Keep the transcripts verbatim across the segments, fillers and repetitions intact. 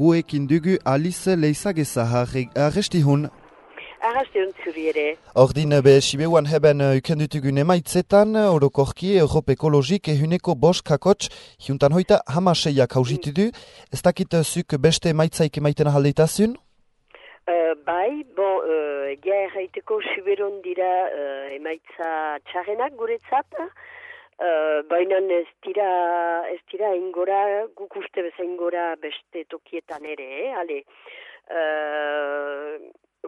Uekin dugu Alice Leizageza arrestihun. Arrastihun zuri ere. Ordin be Sibeuan heben ukendutugun emaitzetan, orokorki Europ Ekologik ehuneko bost kakots, juntan hoita hamaseiak hausitu du. Ez dakit zuk beste emaitzaik emaiten ahaldeitazun? Uh, bai, bon, uh, egia erraiteko Siberon dira uh, emaitza txarrenak guretzat, Uh, baina ez dira, ez dira ingora, guk uste bezain ingora beste tokietan ere, eh? Ale, uh,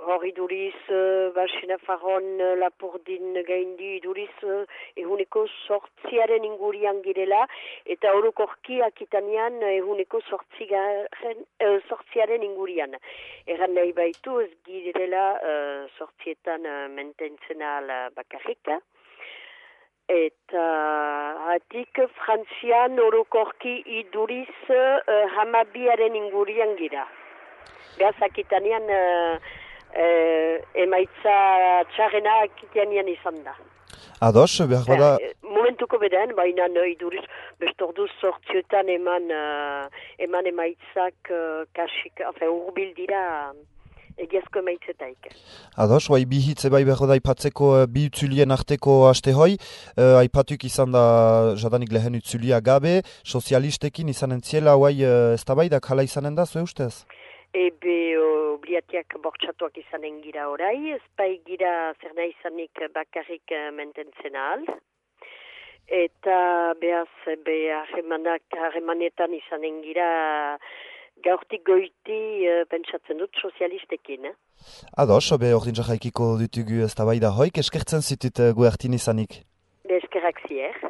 hori duriz, uh, Barsena Farron, uh, Lapurdin gaindi duriz, uh, ehuneko sortziaren ingurian girela, eta orokorki akitanean ehuneko sortzigaren, uh, sortziaren ingurian. Erran nahi baitu ez girela uh, sortzietan uh, mententzen ala bakarrika. Eta hatik Frantzian orokorki iduriz uh, hamabiaren ingurian gira. Beaz, akitanean uh, uh, emaitza txarrena akitanean izan da. Ados, behar da... Uh, momentuko beden, baina uh, iduriz bestorduz sortziotan eman, uh, eman emaitzak uh, kasik, enfin, urbil dira... egiazko emaitzetaik. Ados, bai bi hitze bai behar da aipatzeko bi utzulien arteko aste hoi, uh, aipatuk izan da jadanik lehen utzulia gabe, sozialistekin izan entziela, bai uh, ez da bai da kala izanen da, zue ustez? Ebe obliatiak bortxatuak izanen gira orai, ez bai gira zer nahi izanik bakarrik mententzen ahal. Eta behaz, be harremanetan izanen gira gaurtik goiti uh, pentsatzen dut sozialistekin. Eh? Ados, be ordin jarraikiko dutugu ez da bai da hoik, eskertzen zitut uh, guertin izanik. Be eskerrak zier.